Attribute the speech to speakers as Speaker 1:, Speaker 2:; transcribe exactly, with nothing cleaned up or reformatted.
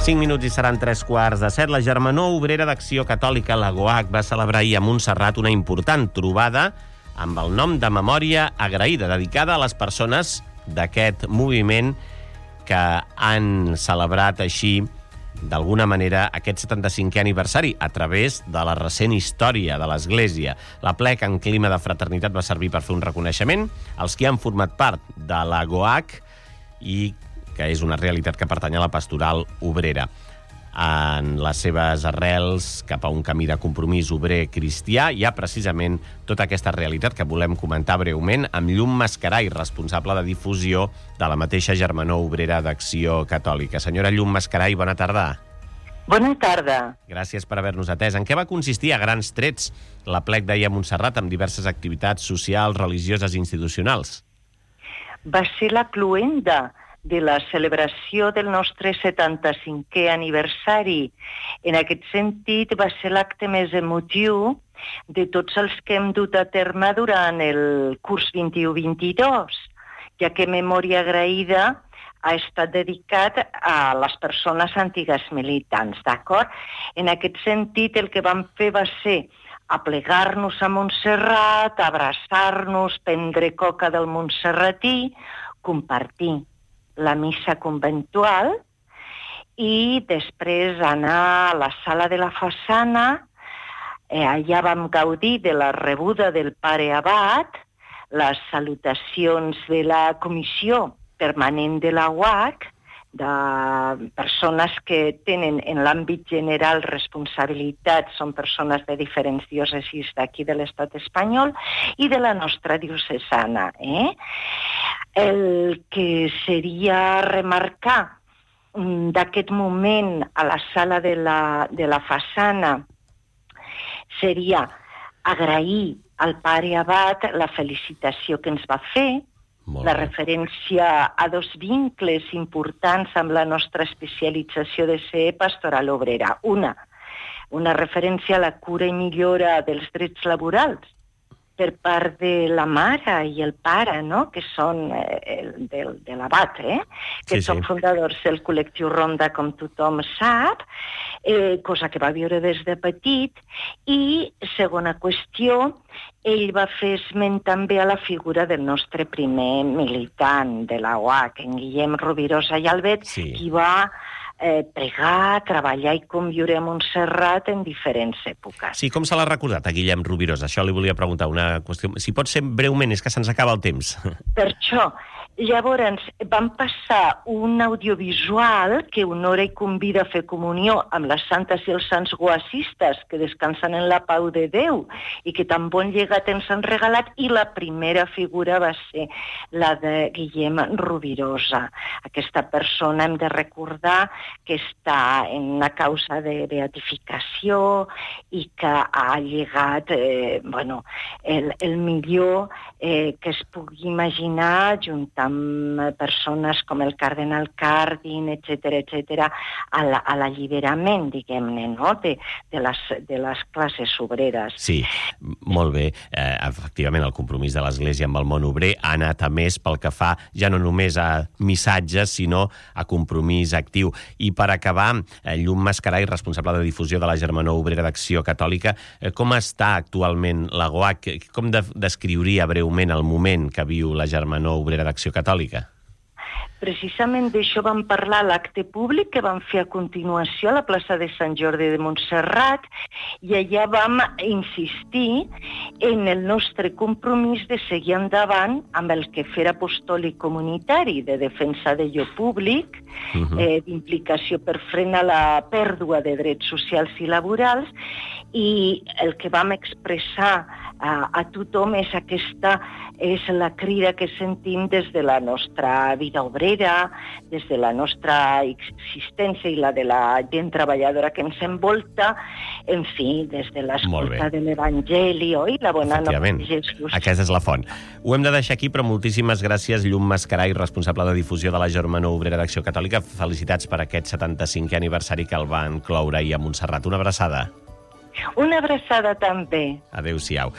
Speaker 1: cinc minuts i seran tres quarts de set. La Germanor Obrera d'Acció Catòlica, la GOAC, va celebrar ahir a Montserrat una important trobada amb el nom de Memòria Agraïda, dedicada a les persones d'aquest moviment que han celebrat així, d'alguna manera, aquest setanta-cinquè aniversari a través de la recent història de l'Església. L'aplec en clima de fraternitat va servir per fer un reconeixement als qui han format part de la GOAC i que és una realitat que pertany a la pastoral obrera. En les seves arrels cap a un camí de compromís obrer cristià hi ha precisament tota aquesta realitat que volem comentar breument amb Llum Mascaray, responsable de difusió de la mateixa Germanor Obrera d'Acció Catòlica. Senyora Llum Mascaray, bona tarda.
Speaker 2: Bona tarda.
Speaker 1: Gràcies per haver-nos atès. En què va consistir a grans trets l'aplec d'ahir a Montserrat amb diverses activitats socials, religioses i institucionals?
Speaker 2: Va ser la cloenda de la celebració del nostre setanta-cinquè aniversari. En aquest sentit, va ser l'acte més emotiu de tots els que hem dut a terme durant el curs vint-i-u vint-i-dos, ja que Memòria Agraïda ha estat dedicat a les persones antigues militants, d'acord? En aquest sentit, el que vam fer va ser aplegar-nos a Montserrat, abraçar-nos, prendre coca del montserratí, compartir la missa conventual i després anar a la sala de la façana. Eh, allà vam gaudir de la rebuda del pare abat, les salutacions de la comissió permanent de la U A C, de persones que tenen en l'àmbit general responsabilitat, són persones de diferents diòcesis d'aquí de l'estat espanyol i de la nostra diocesana. Eh? El que seria remarcar d'aquest moment a la sala de la, de la façana seria agrair al pare abat la felicitació que ens va fer, la referència a dos vincles importants amb la nostra especialització de ser pastoral obrera. Una, una referència a la cura i millora dels drets laborals per part de la mare i el pare, no? Que són eh, del, de l'abat, eh? que sí, són sí. fundadors del col·lectiu Ronda, com tothom sap, eh, cosa que va viure des de petit. I, segona qüestió, ell va fer esment també a la figura del nostre primer militant de la U A C, en Guillem Rovirosa i Albet, sí. qui va eh, pregar, treballar i conviure a Montserrat en diferents èpoques.
Speaker 1: Sí, com se l'ha recordat a Guillem Rovirosa? Això li volia preguntar, una qüestió. Si pot ser breument, és que se'ns acaba el temps.
Speaker 2: Per això, llavors, vam passar un audiovisual que honora i convida a fer comunió amb les santes i els sants goacistes que descansen en la pau de Déu i que tan bon llegat ens han regalat, i la primera figura va ser la de Guillem Rovirosa. Aquesta persona hem de recordar que està en una causa de beatificació i que ha llegat eh, bueno, el, el millor eh, que es pugui imaginar, juntant amb persones com el cardenal Cardin, etcètera, etcètera, a l'alliberament, diguem-ne, no? de, de, les, de les classes obreres.
Speaker 1: Sí, molt bé. Eh, efectivament, el compromís de l'Església amb el món obrer ha anat a més pel que fa ja no només a missatges, sinó a compromís actiu. I per acabar, eh, Llum Mascaray, responsable de difusió de la Germanor Obrera d'Acció Catòlica, eh, com està actualment la GOAC? Com de, descriuria breument el moment que viu la Germanor Obrera d'Acció Catòlica?
Speaker 2: Precisament d'això vam parlar a l'acte públic que vam fer a continuació a la plaça de Sant Jordi de Montserrat, i allà vam insistir en el nostre compromís de seguir endavant amb el quefer apostòlic comunitari de defensa d'allò públic, uh-huh. eh, d'implicació per frenar la pèrdua de drets socials i laborals, i el que vam expressar a, a tothom és aquesta, és la crida que sentim des de la nostra vida obrera, des de la nostra existència i la de la gent treballadora que ens envolta, en fi, des de l'escolta de l'Evangeli, oi? La bona nova de Jesús.
Speaker 1: Aquesta és la font. Ho hem de deixar aquí, però moltíssimes gràcies, Llum Mascaray, responsable de difusió de la Germanor Obrera d'Acció Catòlica. Felicitats per aquest setanta-cinquè aniversari que el van cloure ahir a Montserrat. Una abraçada.
Speaker 2: Una abraçada també.
Speaker 1: Adéu-siau.